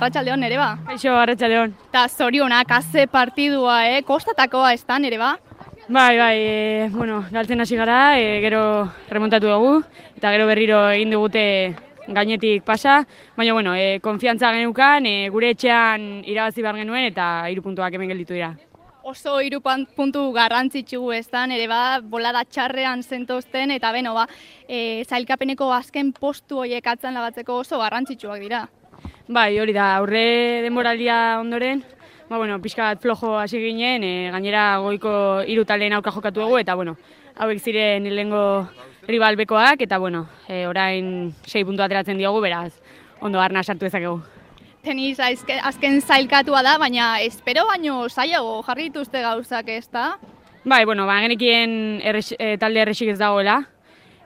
Arratsaldeon ere ba. Kaixo, arratsaldeon. Ta zorionak haze partidua, kostatakoa ez da ere ba. Bai, galtzen hasi gara, gero remontatu dugu, eta gero berriro egin digute gainetik pasa, baina konfiantza geneukan, gure etxean irabazi behar genuen eta 3 puntuak hemen gelditu dira. Oso 3 puntu garrantzitsu ez da, ere ba, bolada txarrean zentozten, eta zailkapeneko azken postu horiek atzan lagatzeko oso garrantzitsuak dira. Bai, hori da, aurre denboraldia ondoren, pixka bat flojo hasi ginen, gainera goiko 3 taldeen aurka jokatu dugu, eta hauek ziren lehengo rival bekoak, eta orain 6 puntu ateratzen diogu, beraz, ondo arna sartu ezakegu. Tenis azken zailkatua da, baina espero baino zailago jarri dituzte gauzak ez da? Bai, genekien talde errexik ez dagoela,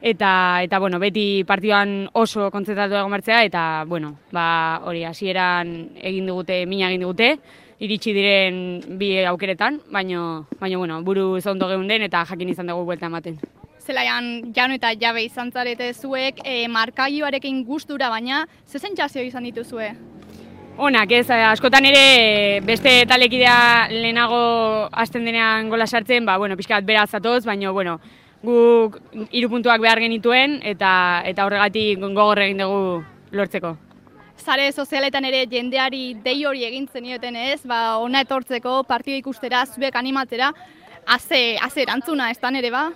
eta beti partiduan oso kontzentratu egon martzea, eta hori hasieran mina egin digute, iritsi diren 2 aukeretan, baina buruz ondo geunden eta jakin izan dugu buelta ematen. Zelaian jaun eta jabe izan zarete zuek, markagioarekin gustura, baina ze sentsazio izan dituzue? Onak ez, askotan ere beste talekidea lehenago hasten denean gola sartzen, pixka bat beraz zatoz, baina guk 3 puntuak behar genituen eta horregatik gogor egin dugu lortzeko. Sare sozialetan ere jendeari dei hori egin zenioten ez, ona etortzeko, partida ikustera, zuek animatzera, haze erantzuna ez da ere ba?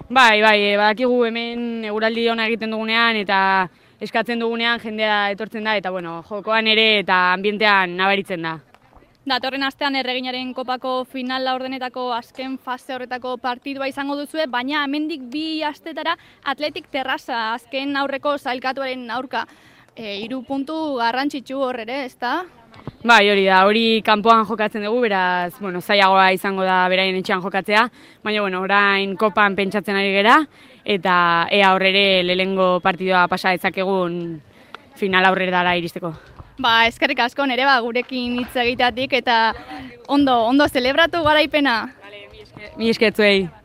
Bai, badakigu hemen eguraldi ona egiten dugunean eta eskatzen dugunean jendea etortzen da eta jokoan ere eta ambientean nabaritzen da. Datorren astean Erreginaren kopako final laurdenetako azken fase horretako partidua izango duzue, baina hemendik 2 astetara Athletic Terrassa azken aurreko zailkatuaren aurka. 3 puntu garrantzitsu hor ere, ez da? Bai, hori da, hori kanpoan jokatzen dugu, beraz, zailagoa izango da beraien etxean jokatzea, baina orain kopan pentsatzen ari gera, eta ea horrere lehengo partidua pasa dezakegun final aurretara iristeko. Eskerrik asko nere gurekin hitz egiteatik eta ondo zelebratu garaipena. Mi esker zuei.